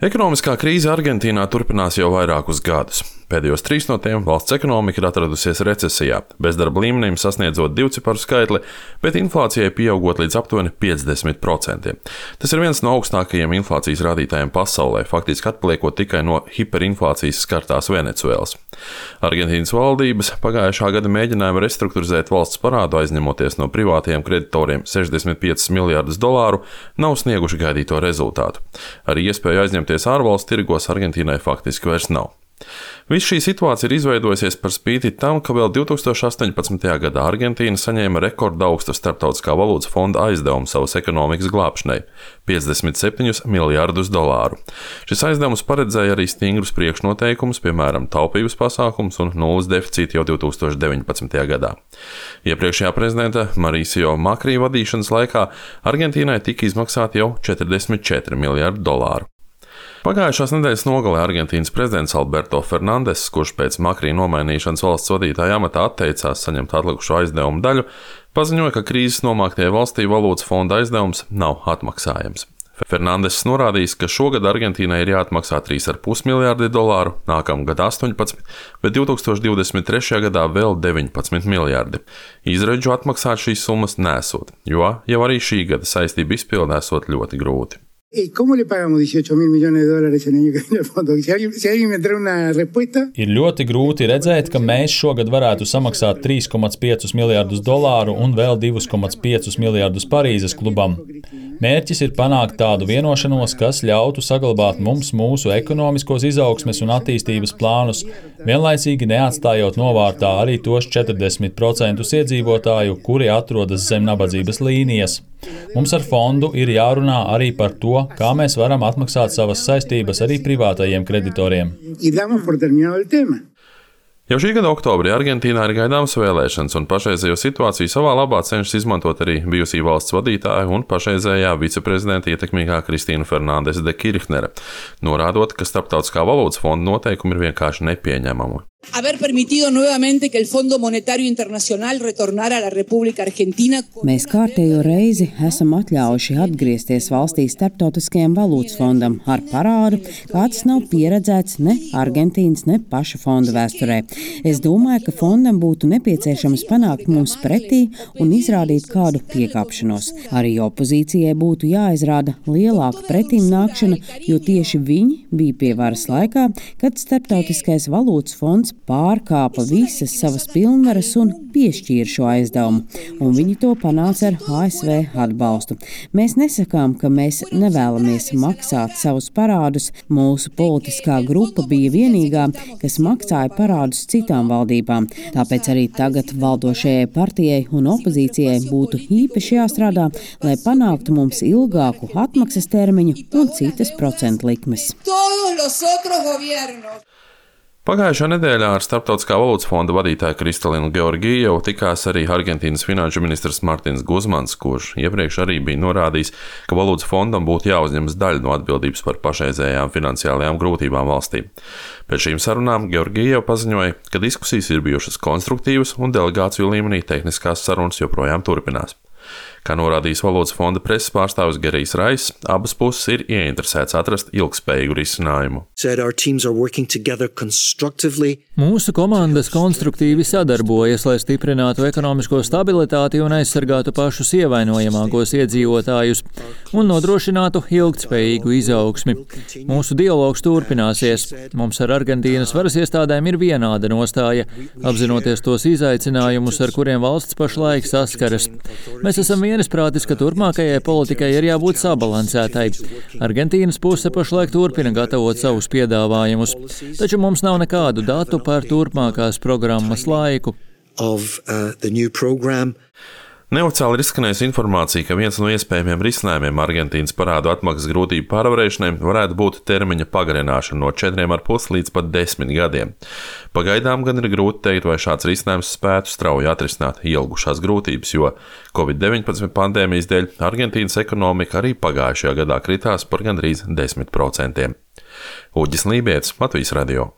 Ekonomiskā krīze Argentīnā turpinās jau vairākus gadus. Pēdējos 3 no tiem valsts ekonomika ir atradusies recesijā, bezdarba līmenim sasniedzot divciparu skaitli, bet inflācijai pieaugot līdz aptuveni 50%. Tas ir viens no augstākajiem inflācijas rādītājiem pasaulē, faktiski atpaliekot tikai no hiperinflācijas skartās Venecuēlas. Argentīnas valdības pagājušā gada mēģinājuma restruktūrizēt valsts parādu, aizņemoties no privātajiem kreditoriem $65 miljardus, nav snieguši gaidīto rezultātu. Arī iespēju aizņemties ārvalstu tirgos Argentīnai faktiski vairs nav. Viss šī situācija ir izveidojusies par spīti tam, ka vēl 2018. gadā Argentīna saņēma rekorda augstu Starptautiskā valūtas fonda aizdevumu savas ekonomikas glābšanai – $57 miljardus. Šis aizdevums paredzēja arī stingrus priekšnoteikumus, piemēram, taupības pasākums un nulles deficītu jau 2019. gadā. Iepriekšējā prezidenta Mauricio Macri vadīšanas laikā Argentīnai tika izmaksāti jau $44 miljardi. Pagājušās nedēļas nogalē Argentīnas prezidents Alberto Fernandes, kurš pēc Macri nomainīšanas valsts vadītāja amatā atteicās saņemt atlikušo aizdevumu daļu, paziņoja, ka krīzes nomāktajai valstī valūtas fonda aizdevums nav atmaksājams. Fernandes norādījis, ka šogad Argentīnai ir jāatmaksā $3,5 miljardi, nākamgad 18, bet 2023. gadā vēl 19 miljardi. Izredzu atmaksāt šīs summas nesot, jo jau arī šī gada saistību izpilde esot ļoti grūti. ¿Cómo le pagamos $18 millones el año que viene al fondo? Si alguien me trae una respuesta. Ir ļoti grūti redzēt, ka mēs šogad varētu samaksāt $3,5 miljardus un vēl $2,5 miljardus Parīzes klubam. Mērķis ir panākt tādu vienošanos, kas ļautu saglabāt mums mūsu ekonomiskos izaugsmes un attīstības plānus, vienlaicīgi neatstājot novārtā arī tos 40% iedzīvotāju, kuri atrodas zem nabadzības līnijas. Mums ar fondu ir jārunā arī par to, kā mēs varam atmaksāt savas saistības arī privātajiem kreditoriem. Jau šī gada oktobrī Argentīnā ir gaidāmas vēlēšanas, un pašreizējo situāciju savā labā cenšas izmantot arī bijusī valsts vadītāja un pašreizējā viceprezidenta ietekmīgā Kristīna Fernandese de Kirchnere, norādot, ka Starptautiskā valūtas fonda noteikumi ir vienkārši nepieņemami. Haber permitido nuevamente que el Fondo Monetario Internacional retornara a la República Argentina. Mēs kārtējo reizi esam atļaujuši atgriezties valstī Starptautiskajam valūtas fondam ar parādu, kāds nav pieredzēts ne Argentīnas, ne paša fonda vēsturē. Es domāju, ka fondam būtu nepieciešams panākt mums pretī un izrādīt kādu piekāpšanos. Arī opozīcijai būtu jāizrāda lielāka pretīm nākšana, jo tieši viņi bija pie varas laikā, kad Starptautiskais valūtas fonds pārkāpa visas savas pilnvaras un piešķīra šo aizdevumu, un viņi to panāca ar ASV atbalstu. Mēs nesakām, ka mēs nevēlamies maksāt savus parādus. Mūsu politiskā grupa bija vienīgā, kas maksāja parādus citām valdībām. Tāpēc arī tagad valdošajai partijai un opozīcijai būtu īpaši jāstrādā, lai panāktu mums ilgāku atmaksas termiņu un citas procentu likmes. Pagājušā nedēļā ar Starptautiskā valūtas fonda vadītāju Kristalinu Georgievu tikās arī Argentīnas finanšu ministrs Martins Guzmans, kurš iepriekš arī bija norādījis, ka valūtas fondam būtu jāuzņemas daļa no atbildības par pašreizējām finansiālajām grūtībām valstī. Pēc šīm sarunām Georgieva paziņoja, ka diskusijas ir bijušas konstruktīvas un delegāciju līmenī tehniskās sarunas joprojām turpinās. Kā norādījis valūtas fonda preses pārstāvis Gerijs Rais, abas puses ir ieinteresētas atrast ilgspējīgu risinājumu. Mūsu komandas konstruktīvi sadarbojas, lai stiprinātu ekonomisko stabilitāti un aizsargātu pašus ievainojamākos iedzīvotājus un nodrošinātu ilgspējīgu izaugsmi. Mūsu dialogs turpināsies. Mums ar Argentīnas varas iestādēm ir vienāda nostāja, apzinoties tos izaicinājumus, ar kuriem valsts pašlaik saskaras. Mēs esam vienisprātis, ka turpmākajai politikai ir jābūt sabalansētai. Argentīnas puse pašlaik turpina gatavot savus piedāvājumus, taču mums nav nekādu datu par turpmākās programmas laiku. Neoficiāli ir izskanējusi informācija, ka viens no iespējamiem risinājumiem Argentīnas parādu atmaksas grūtību pārvarēšanai varētu būt termiņa pagarināšana no 4,5 līdz pat 10 gadiem. Pagaidām gan ir grūti teikt, vai šāds risinājums spētu strauji atrisināt ilgušās grūtības, jo Covid-19 pandēmijas dēļ Argentīnas ekonomika arī pagājušajā gadā kritās par gandrīz 10%. Uģis Lībietis, Latvijas radio.